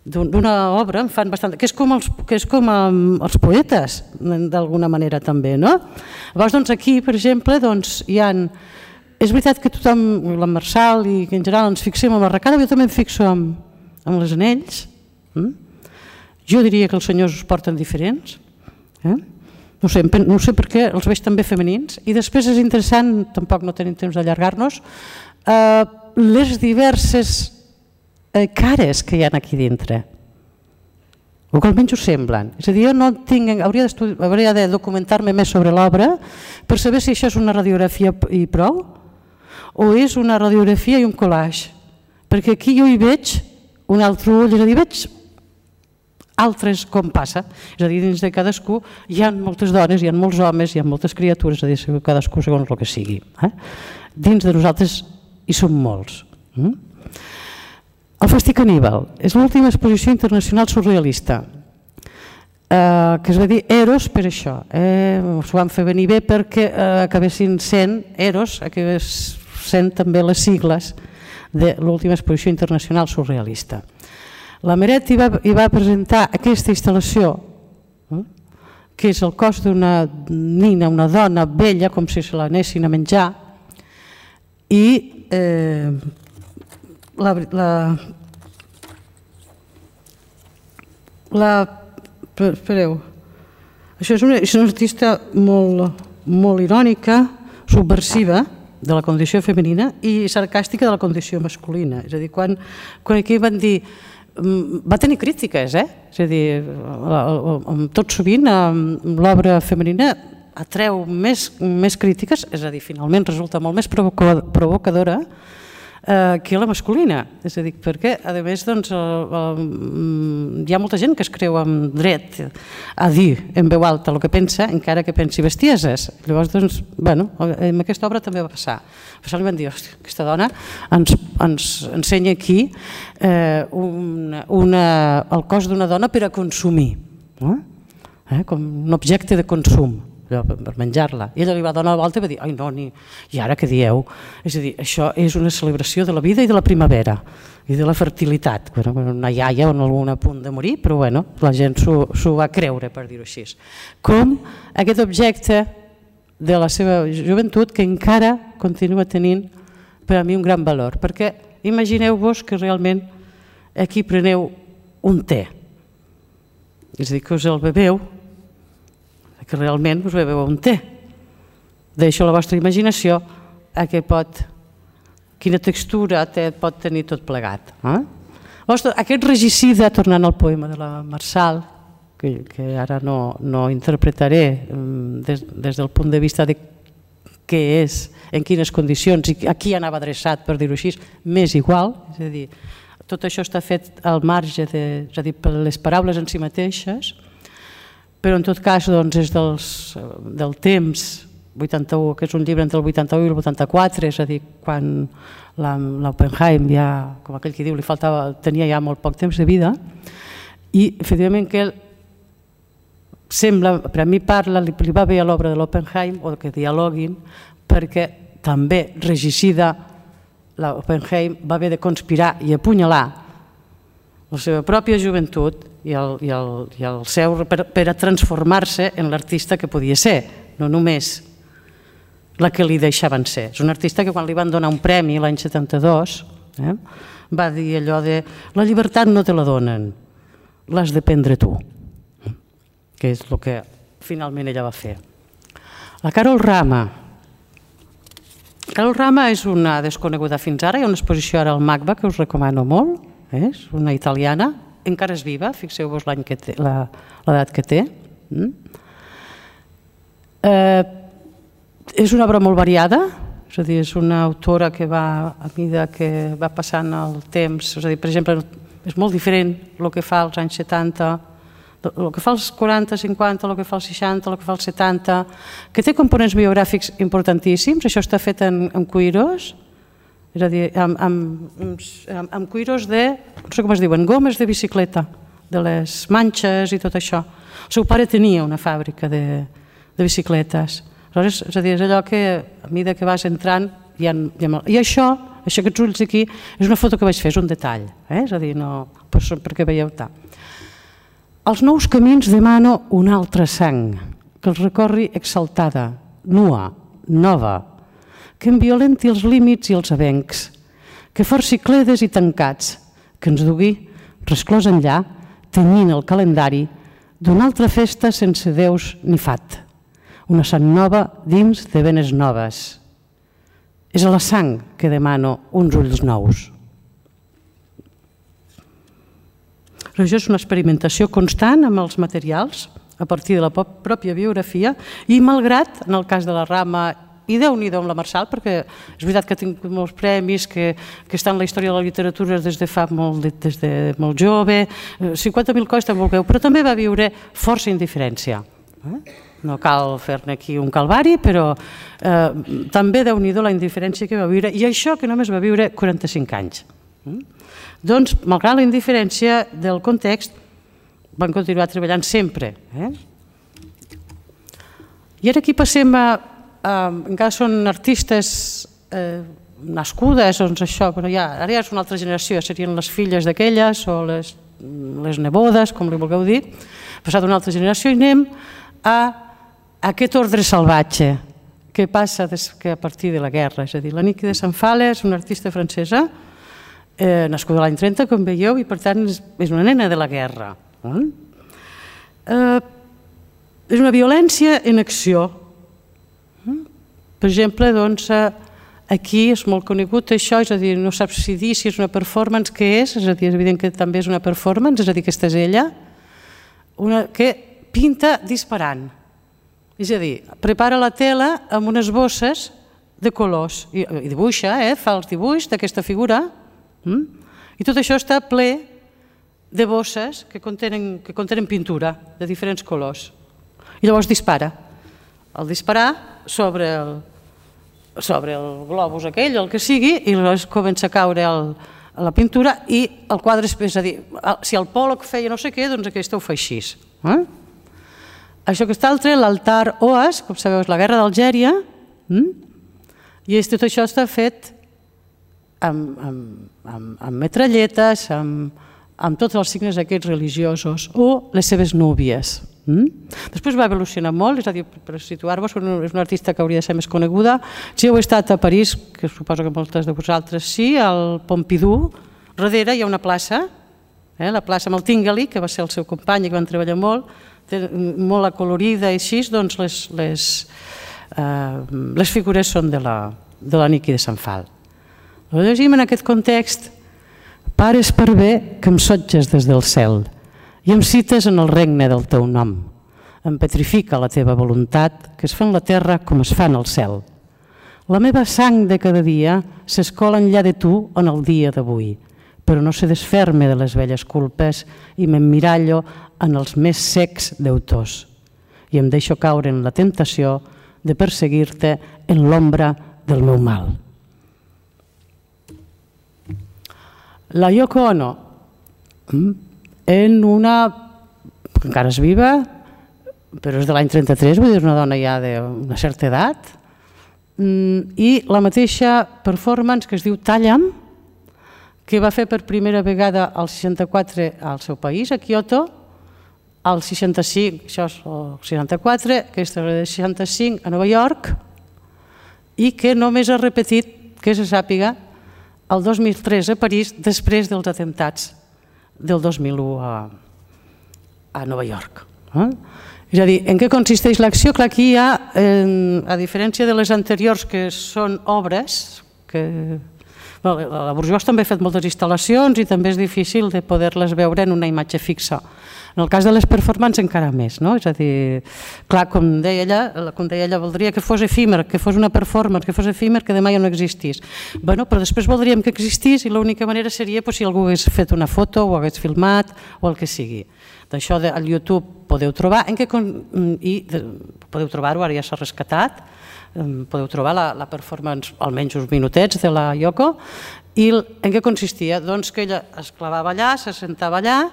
d'una obra, en fan bastant... que és com els poetes, d'alguna manera també, no? Llavors, aquí, per exemple, hi ha... És veritat que tothom, la Marçal i que en general ens fixem en la arracada, jo també em fixo en les anells. Jo diria que els senyors es porten diferents. No sé per què els veig també femenins. I després és interessant, tampoc no tenim temps d'allargar-nos, les diverses cares que hi ha aquí dintre. O que almenys ho semblen. És a dir, jo no tinc... Hauria de documentar-me més sobre l'obra per saber si això és una radiografia i prou o és una radiografia i un collage. Perquè aquí jo hi veig un altre ull, és a dir, veig altres com passa, és a dir, dins de cadascú hi ha moltes dones, hi ha molts homes, hi ha moltes criatures, és a dir, cadascú segons el que sigui. Dins de nosaltres hi som molts. El Festí Caníbal és l'última exposició internacional surrealista, que es va dir Eros per això. S'ho van fer venir bé perquè acabessin sent Eros, acabés sent també les sigles de l'última exposició internacional surrealista. La Meret hi va presentar aquesta instal·lació, que és el cos d'una nina, una dona vella, com si se l'anessin a menjar, i espereu, això és una artista molt irònica, subversiva de la condició femenina i sarcàstica de la condició masculina. És a dir, quan aquí van dir... Va tenir crítiques, és a dir, tot sovint l'obra femenina atreu més crítiques, és a dir, finalment resulta molt més provocadora que la masculina. És a dir, perquè, a més, hi ha molta gent que es creu amb dret a dir en veu alta el que pensa, encara que pensi bestieses. Llavors, amb aquesta obra també va passar. Li van dir, aquesta dona ens ensenya aquí el cos d'una dona per a consumir, com un objecte de consum, per menjar-la. I ella li va donar la volta i va dir, ai no, i ara què dieu? És a dir, això és una celebració de la vida i de la primavera i de la fertilitat. Una iaia en algun punt de morir, però la gent s'ho va creure, per dir-ho així. Com aquest objecte de la seva joventut que encara continua tenint per a mi un gran valor, perquè imagineu-vos que realment aquí preneu un té, és a dir, que us el beveu, que realment us beveu un té. Deixo a la vostra imaginació quina textura pot tenir tot plegat. Aquest regicida, tornant al poema de la Marçal, que ara no interpretaré des del punt de vista de què és, en quines condicions i a qui anava adreçat, per dir-ho així, m'és igual, és a dir, tot això està fet al marge, és a dir, per les paraules en si mateixes, però en tot cas és del temps 81, que és un llibre entre el 81 i el 84, és a dir, quan l'Oppenheim ja, com aquell que diu, tenia ja molt poc temps de vida, i efectivament que ell sembla, per a mi li va bé a l'obra de l'Oppenheim, o que dialoguin, perquè també regicida l'Oppenheim va haver de conspirar i apunyalar la seva pròpia joventut i el seu per a transformar-se en l'artista que podia ser, no només la que li deixaven ser. És un artista que quan li van donar un premi l'any 72 va dir allò de la llibertat no te la donen, l'has de prendre tu, que és el que finalment ella va fer. La Carol Rama. Carol Rama és una desconeguda fins ara, hi ha una exposició ara al MACBA que us recomano molt, és una italiana, encara és viva, fixeu-vos l'edat que té. És una obra molt variada, és a dir, és una autora que va, a mesura que va passant el temps, és a dir, per exemple, és molt diferent el que fa als anys 70, el que fa als 40, 50, el que fa als 60, el que fa als 70, que té components biogràfics importantíssims. Això està fet en cuiros, és a dir, amb cuiros de, no sé com es diuen, gomes de bicicleta, de les manxes i tot això. El seu pare tenia una fàbrica de bicicletes. Aleshores, és a dir, és allò que a mesura que vas entrant i això, aquests ulls aquí, és una foto que vaig fer, és un detall, és a dir, no perquè veieu tant. Als nous camins demano una altra sang, que els recorri exaltada, nua, nova, que en violenti els límits i els avencs, que forci cledes i tancats, que ens dugui, resclòs enllà, tenyint el calendari, d'una altra festa sense déus ni fat, una sang nova dins de venes noves. És a la sang que demano uns ulls nous. Això és una experimentació constant amb els materials a partir de la pròpia biografia i malgrat, en el cas de la Rama, i Déu-n'hi-do amb la Marçal, perquè és veritat que ha tingut molts premis, que està en la història de la literatura des de molt jove, 50.000 coses també vulgueu, però també va viure força indiferència. No cal fer-ne aquí un calvari, però també Déu-n'hi-do la indiferència que va viure, i això que només va viure 45 anys. Doncs, malgrat la indiferència del context, van continuar treballant sempre. I ara aquí passem a... encara són artistes nascudes, doncs això, però ara ja és una altra generació, serien les filles d'aquelles o les nebodes, com li vulgueu dir, passat una altra generació, i anem a aquest ordre salvatge que passa a partir de la guerra. És a dir, la Niki de Sant Fala és una artista francesa, nascuda l'any 30, com veieu, i per tant és una nena de la guerra. És una violència en acció. Per exemple, doncs, aquí és molt conegut això, és a dir, no saps si dir si és una performance, què és a dir, és evident que també és una performance, és a dir, aquesta és ella, que pinta disparant. És a dir, prepara la tela amb unes bosses de colors i dibuixa, fa els dibuix d'aquesta figura, i tot això està ple de bosses que contenen pintura de diferents colors. I llavors dispara. Al disparar sobre el globus aquell, el que sigui, i llavors comença a caure la pintura i el quadre és a dir, si el Pollock feia no sé què, doncs aquesta ho fa així. Això que està altre, l'altar Oas, com sabeu, és la guerra d'Algèria, i tot això està fet amb metralletes, amb tots els signes aquests religiosos, o les seves núvies. Després va evolucionar molt, és a dir, per situar-vos, és una artista que hauria de ser més coneguda. Si heu estat a París, que suposo que moltes de vosaltres sí, al Pompidou, darrere hi ha una plaça, la plaça amb el Tinguely, que va ser el seu company i que van treballar molt, molt acolorida i així, doncs les figures són de la Niki de Sant Fal. Ho llegim en aquest context: pares per bé que em sotges des del cel i em cites en el regne del teu nom. Em petrifica la teva voluntat, que es fa en la terra com es fa en el cel. La meva sang de cada dia s'escola enllà de tu en el dia d'avui, però no se desferme de les velles culpes i m'emmirallo en els més secs deutors. I em deixo caure en la temptació de perseguir-te en l'ombra del meu mal. La Yoko Ono, encara és viva, però és de l'any 33, vull dir, una dona ja d'una certa edat, i la mateixa performance que es diu Talla'm, que va fer per primera vegada al 64 al seu país, a Kyoto, al 65, això és el 64, aquesta és el 65 a Nova York, i que només ha repetit, que se sàpiga, el 2003 a París, després dels atemptats del 2001 a Nova York. És a dir, en què consisteix l'acció? Clar, aquí hi ha, a diferència de les anteriors, que són obres, que La Bourgeois també ha fet moltes instal·lacions i també és difícil de poder-les veure en una imatge fixa. En el cas de les performances encara més, no? És a dir, clar, com deia ella, voldria que fos efímer, que fos una performance, que fos efímer, que demà ja no existís. Però després voldríem que existís i l'única manera seria si algú hagués fet una foto o hagués filmat o el que sigui. D'això al YouTube podeu trobar, i podeu trobar-ho, ara ja s'ha rescatat, podeu trobar la performance, almenys uns minutets, de la Yoko, i en què consistia? Doncs que ella es clavava allà, se sentava allà,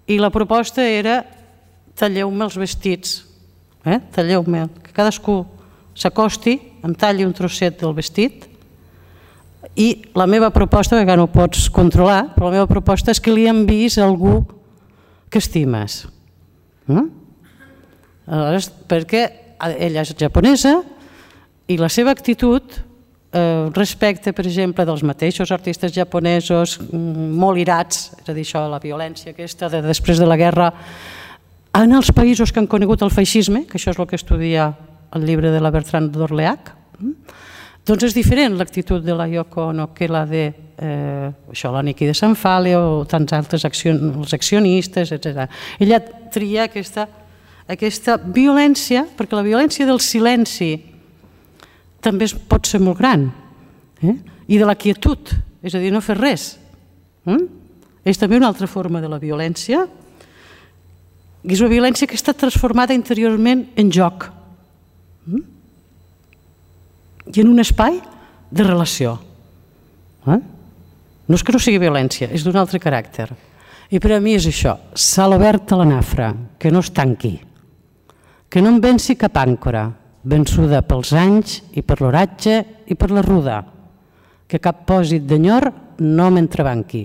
i la proposta era talleu-me els vestits, talleu-me, que cadascú s'acosti, em talli un trosset del vestit, i la meva proposta, que no ho pots controlar, però la meva proposta és que li enviïs a algú que estimes. Aleshores, perquè ella és japonesa i la seva actitud respecte, per exemple, dels mateixos artistes japonesos molt irats, és a dir, això, la violència aquesta de després de la guerra, en els països que han conegut el feixisme, que això és el que estudia el llibre de la Bertrand d'Orléac, doncs és diferent l'actitud de la Yoko Ono que la de la Niki de Sanfale o tants altres els accionistes, etc. Ella tria aquesta violència, perquè la violència del silenci també pot ser molt gran, i de la quietud, és a dir, no fer res. És també una altra forma de la violència, i és una violència que està transformada interiorment en joc i en un espai de relació. No és que no sigui violència, és d'un altre caràcter. I per a mi és això, sal obert a la nafra, que no es tanqui, que no em venci cap àncora, vençuda pels anys i per l'oratge i per la ruda, que cap pòsit d'enyor no m'entrebanqui.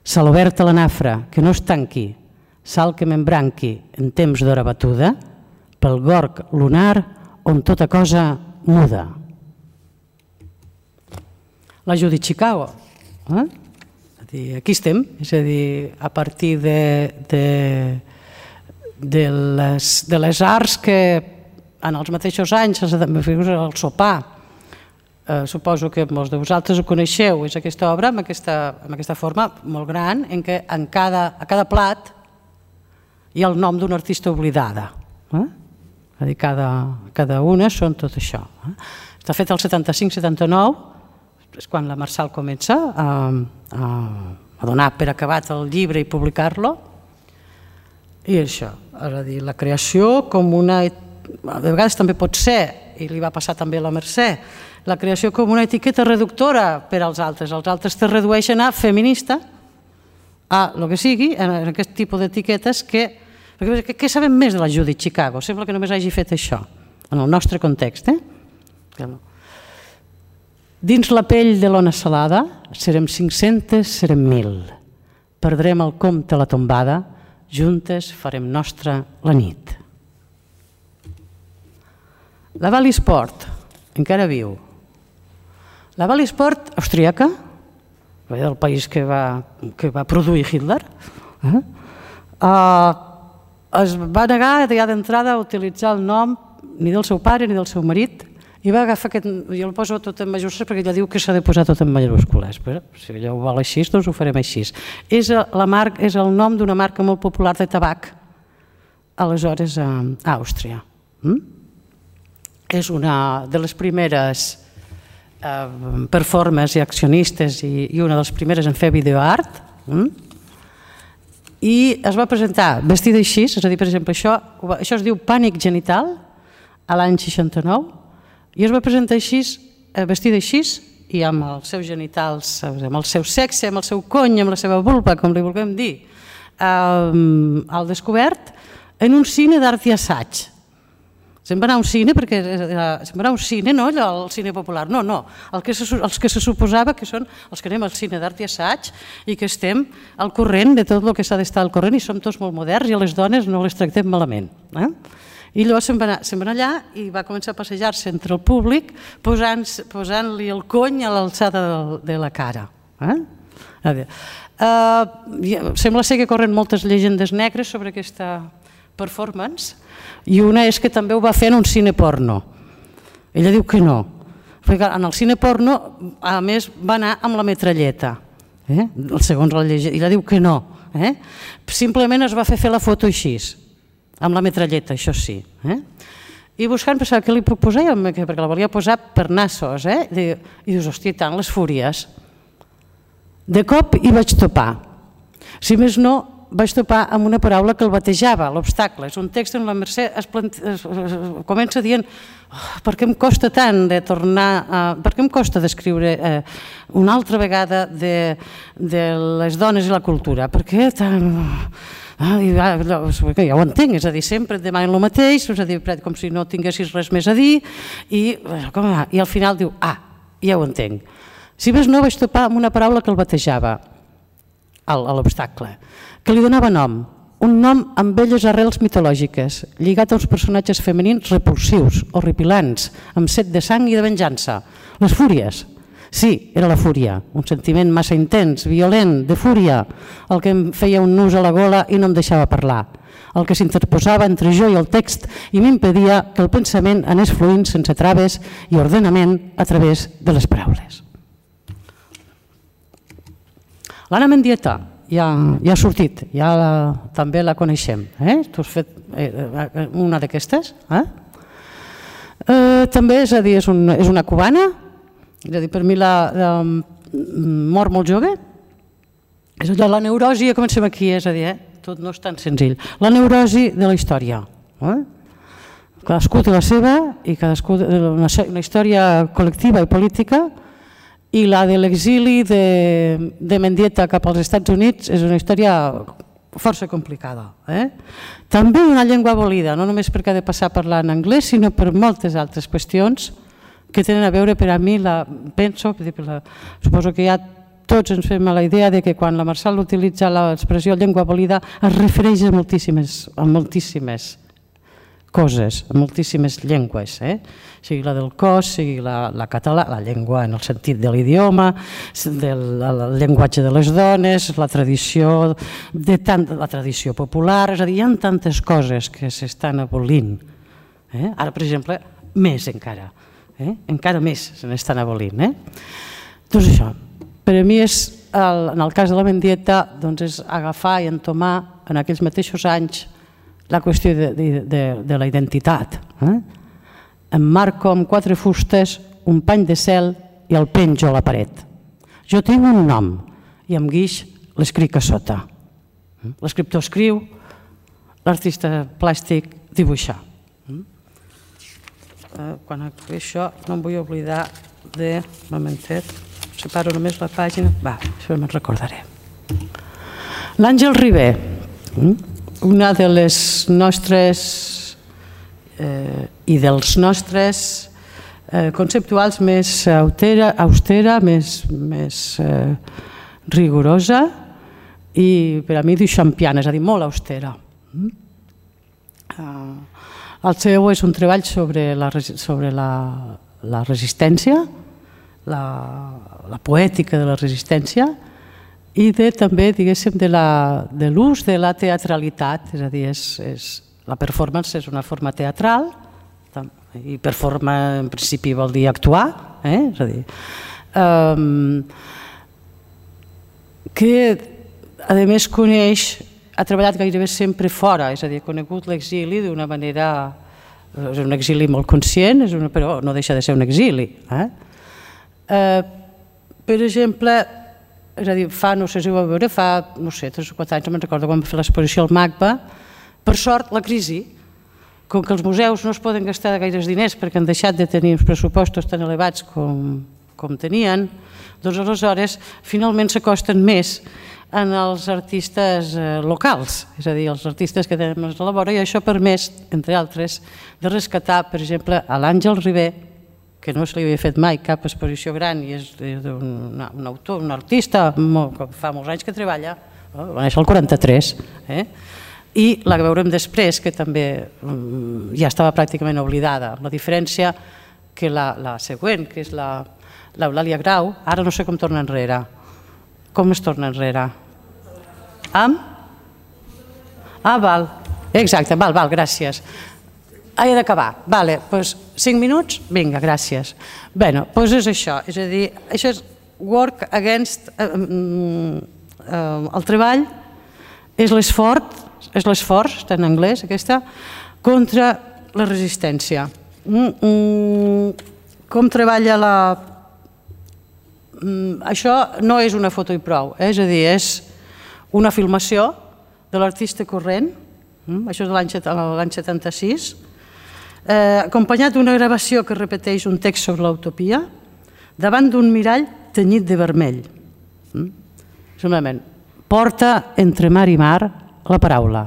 Sal obert a la nafra, que no es tanqui, sal que m'embranqui en temps d'hora batuda, pel gorg lunar on tota cosa muda. La Judith Chicago. Aquí estem, és a dir, a partir de les arts que en els mateixos anys, el sopar, suposo que molts de vosaltres ho coneixeu, és aquesta obra amb aquesta forma molt gran en què a cada plat hi ha el nom d'una artista oblidada. És a dir, cada una són tot això. Està fet el 75-79, és quan la Marçal comença a donar per acabat el llibre i publicar-lo. I això, és a dir, la creació com una... De vegades també pot ser, i li va passar també a la Mercè, la creació com una etiqueta reductora per als altres. Els altres te redueixen a feminista, a el que sigui, en aquest tipus d'etiquetes que... Què sabem més de la Judith Chicago? Sembla que només hagi fet això, en el nostre context. Dins la pell de l'ona salada, serem 500, serem 1.000. Perdrem el compte a la tombada, juntes farem nostra la nit. La Bally Sport, encara viu. La Bally Sport austríaca, del país que va produir Hitler, es va negar ja d'entrada a utilitzar el nom ni del seu pare ni del seu marit i va agafar aquest... Jo el poso tot en majúscules perquè ella diu que s'ha de posar tot en majúscules. Si ella ho vol així, doncs ho farem així. És el nom d'una marca molt popular de tabac aleshores a Àustria. És una de les primeres performers i accionistes i una de les primeres en fer videoart. I es va presentar vestida així, és a dir, per exemple, això es diu Pànic genital, a l'any 69, i es va presentar així, vestida així, i amb els seus genitals, amb el seu sexe, amb el seu cony, amb la seva vulva, com li vulguem dir, al descobert, en un cine d'art i assaig. Se'n va anar a un cine, perquè se'n va anar a un cine, no allò, el cine popular, no, els que se suposava que són els que anem al cine d'art i assaig i que estem al corrent de tot el que s'ha d'estar al corrent i som tots molt moderns i a les dones no les tractem malament. I llavors se'n va anar allà i va començar a passejar-se entre el públic posant-li el cony a l'alçada de la cara. Sembla ser que corren moltes llegendes negres sobre aquesta performance i una és que també ho va fer en un cine porno. Ella diu que no. En el cine porno, a més, va anar amb la metralleta, segons la llegenda, i ella diu que no. Simplement es va fer la foto així, amb la metralleta, això sí. I buscant pensava què li puc posar, perquè la volia posar per nassos, i dius, hòstia, tant les fúries. De cop hi vaig topar. Si més no, vaig topar amb una paraula que el batejava, l'obstacle. És un text on la Mercè comença dient per què em costa tant de tornar, per què em costa d'escriure una altra vegada de les dones i la cultura, per què tant... Ja ho entenc, és a dir, sempre et demanen el mateix, és a dir, com si no tinguessis res més a dir, i al final diu, ja ho entenc. Si més no, vaig topar amb una paraula que el batejava, l'obstacle, que li donava nom, un nom amb velles arrels mitològiques, lligat a uns personatges femenins repulsius, horripilants, amb set de sang i de venjança, les fúries. Sí, era la fúria, un sentiment massa intens, violent, de fúria, el que em feia un nus a la gola i no em deixava parlar, el que s'interposava entre jo i el text i m'impedia que el pensament anés fluint sense traves i ordenament a través de les paraules. L'Anna Mendieta ja ha sortit, també la coneixem. Tu has fet una d'aquestes? També, és a dir, és una cubana. És a dir, per mi mor molt jove. És allò, la neurosi, comencem aquí, és a dir, tot no és tan senzill. La neurosi de la història. Cadascú té la seva, i cadascú una història col·lectiva i política, i la de l'exili de Mendieta cap als Estats Units és una història força complicada. També una llengua abolida, no només perquè ha de passar a parlar en anglès, sinó per moltes altres qüestions que tenen a veure, per a mi, suposo que ja tots ens fem la idea que quan la Marçal utilitza l'expressió llengua abolida es refereix a moltíssimes coses, a moltíssimes llengües, sigui la del cos, sigui la català, la llengua en el sentit de l'idioma, el llenguatge de les dones, la tradició popular, és a dir, hi ha tantes coses que s'estan abolint. Ara, per exemple, més encara. Encara més se n'estan abolint. Doncs això, per a mi és, en el cas de la Mendieta, és agafar i entomar en aquells mateixos anys la qüestió de la identitat. Emmarco amb 4 fustes, un pany de cel i el penjo a la paret. Jo tinc un nom i amb guix l'escric a sota. L'escriptor escriu, l'artista plàstic dibuixa. Quan acabé això no em vull oblidar de... Un momentet, separo només la pàgina. Això me'n recordaré. L'Àngel Ribé, una de les nostres i dels nostres conceptuals més austera, més rigorosa i per a mi duchampiana, és a dir, molt austera. El seu és un treball sobre la resistència, la poètica de la resistència i també, diguéssim, de l'ús de la teatralitat, és a dir, la performance és una forma teatral i performar en principi vol dir actuar, és a dir, que a més coneix, ha treballat gairebé sempre fora, és a dir, ha conegut l'exili d'una manera, és un exili molt conscient, però no deixa de ser un exili. Per exemple, és a dir, no sé si ho va veure, fa 3 o 4 anys, no me'n recordo quan va fer l'exposició al MACBA, per sort la crisi, com que els museus no es poden gastar gaires diners perquè han deixat de tenir uns pressupostos tan elevats com tenien, doncs aleshores finalment s'acosten més en els artistes locals, és a dir, els artistes que tenen més a la vora, i això ha permès, entre altres, de rescatar, per exemple, a l'Àngel Ribé, que no se li havia fet mai cap exposició gran i és un autor, un artista, que fa molts anys que treballa, va néixer el 43, i la que veurem després, que també ja estava pràcticament oblidada, la diferència que la següent, que és l'Eulàlia Grau, ara no sé com torna enrere. Com es torna enrere? Val. Exacte, val, gràcies. he d'acabar. Vale, doncs 5 minuts? Vinga, gràcies. Bé, doncs és això. És a dir, això és work against... El treball és l'esforç, està en anglès aquesta, contra la resistència. Com treballa la... Això no és una foto i prou, és a dir, és una filmació de l'artista corrent, això és de l'any 76, acompanyat d'una gravació que repeteix un text sobre l'utopia davant d'un mirall tenyit de vermell. Simplement, porta entre mar i mar la paraula,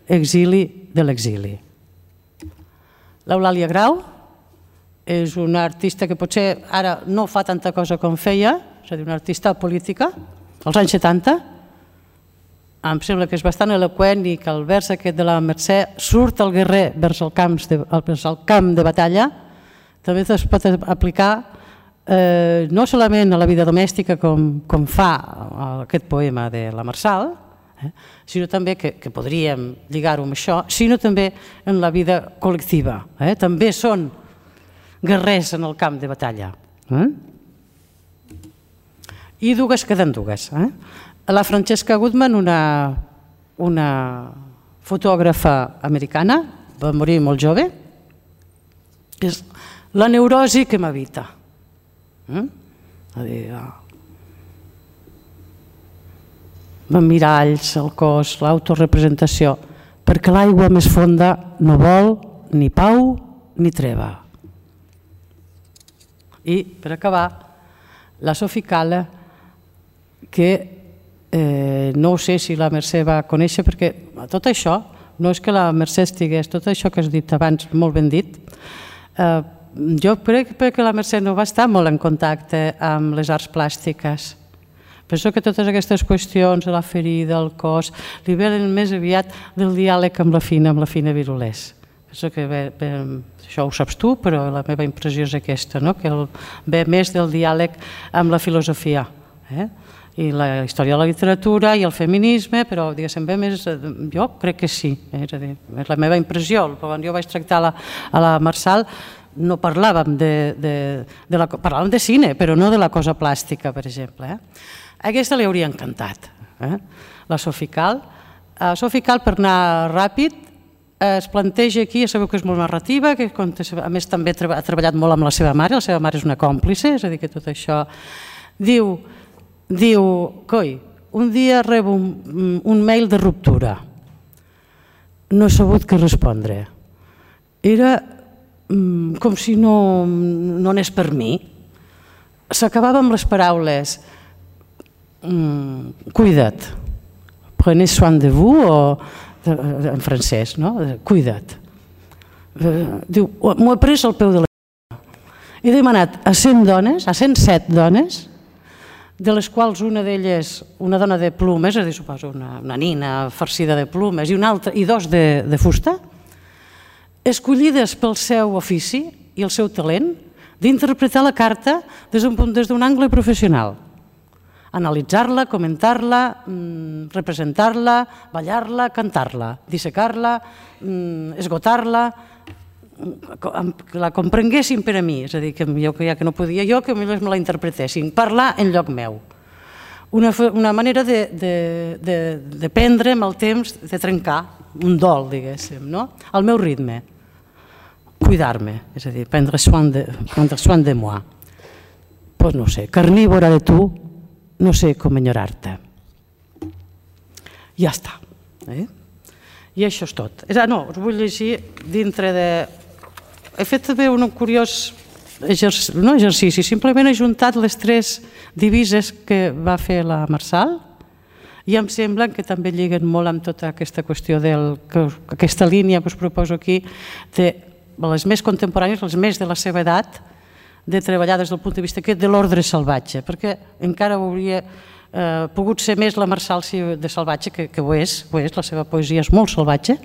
exili de l'exili. L'Eulàlia Grau és una artista que potser ara no fa tanta cosa com feia, és a dir, una artista política, als anys 70, em sembla que és bastant eloqüent i que el vers aquest de la Mercè surt el guerrer vers el camp de batalla, també es pot aplicar no solament a la vida domèstica com fa aquest poema de la Marçal, sinó també que podríem lligar-ho amb això, sinó també en la vida col·lectiva. També són guerrers en el camp de batalla. I dues queden dues. La Francesca Goodman, una fotògrafa americana, va morir molt jove, és la neurosi que m'habita. Miralls, el cos, l'autorepresentació, perquè l'aigua més fonda no vol ni pau ni treva. I, per acabar, la Sophie Calle, que no sé si la Mercè va conèixer, perquè tot això, no és que la Mercè estigués, tot això que has dit abans, molt ben dit, jo crec que la Mercè no va estar molt en contacte amb les arts plàstiques. Penso que totes aquestes qüestions de la ferida, el cos, li venen més aviat del diàleg amb la Fina Virulés. Penso que això ho saps tu, però la meva impressió és aquesta, que ve més del diàleg amb la filosofia. I la història de la literatura i el feminisme, però diguéssim bé més, jo crec que sí, és a dir, és la meva impressió. Quan jo vaig tractar a la Marçal no parlàvem parlàvem de cine, però no de la cosa plàstica, per exemple. Aquesta li hauria encantat, la Sophie Calle. Sophie Calle, per anar ràpid, es planteja aquí, ja sabeu que és molt narrativa, que a més també ha treballat molt amb la seva mare és una còmplice, és a dir, que tot això diu, coi, un dia rebo un mail de ruptura, no he sabut què respondre, era com si no anés per mi, s'acabava amb les paraules cuida't, prenez soin de vous, en francès, no? Cuida't. Diu, m'ho he pres al peu de la lletra. He demanat a 100 dones, a 107 dones, de les quals una d'elles, una dona de plumes, és a dir, suposo una nina farcida de plumes i dos de fusta, escollides pel seu ofici i el seu talent d'interpretar la carta des d'un angle professional. Analitzar-la, comentar-la, representar-la, ballar-la, cantar-la, dissecar-la, esgotar-la, que la comprenguessin per a mi, és a dir, que ja que no podia jo, que me la interpretessin, parlar en lloc meu. Una manera de prendre amb el temps, de trencar un dol, diguéssim, al meu ritme, cuidar-me, és a dir, prendre soin de moi. Doncs no sé, carnívora de tu, no sé com enyorar-te. Ja està. I això és tot. No, us vull llegir dintre de... He fet també un curiós exercici, simplement he juntat les 3 divises que va fer la Marçal i em sembla que també lliguen molt amb tota aquesta qüestió aquesta línia que us proposo aquí de les més contemporànies, les més de la seva edat, de treballar des del punt de vista de l'ordre salvatge, perquè encara hauria pogut ser més la Marçal de salvatge, que ho és, la seva poesia és molt salvatge,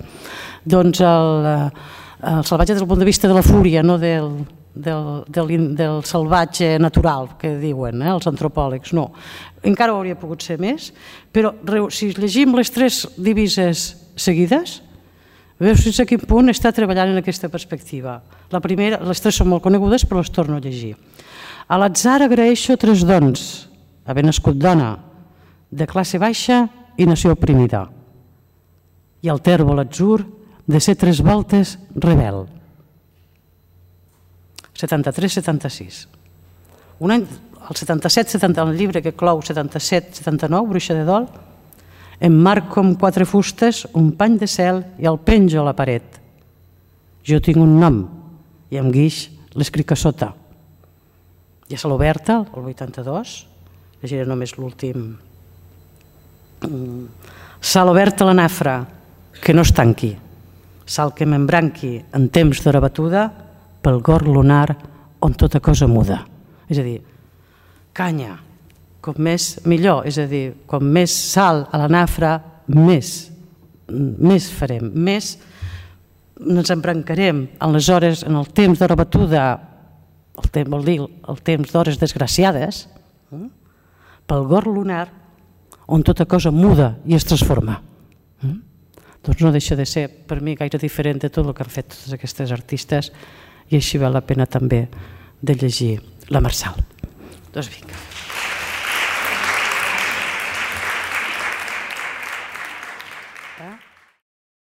doncs el salvatge des del punt de vista de la fúria, no del salvatge natural, que diuen els antropòlegs, no. Encara hauria pogut ser més, però si llegim les 3 divises seguides, Veus fins a quin punt està treballant en aquesta perspectiva. La primera, les tres són molt conegudes, però les torno a llegir. A l'atzar agraeixo 3 dons, haver nascut dona, de classe baixa i nació oprimida. I al tèrbol atzur de ser 3 voltes rebel. 73-76. Un any, el 77-70, el llibre que clou 77-79, Bruixa de Dol, emmarco amb 4 fustes un pany de cel i el penjo a la paret. Jo tinc un nom i amb guix l'escric a sota. I a Sala Oberta, el 82, llegiré només l'últim. Sala Oberta la nafra, que no es tanqui. Sal que m'embranqui en temps d'hora batuda pel gor lunar on tota cosa muda. És a dir, canya, com més millor, és a dir, com més sal a la nafra, més farem, més ens embrancarem en les hores, en el temps d'hora batuda, vol dir el temps d'hores desgraciades, pel gor lunar on tota cosa muda i es transforma. Doncs no deixa de ser per mi gaire diferent de tot el que han fet totes aquestes artistes i així val la pena també de llegir la Marçal. Doncs vinga.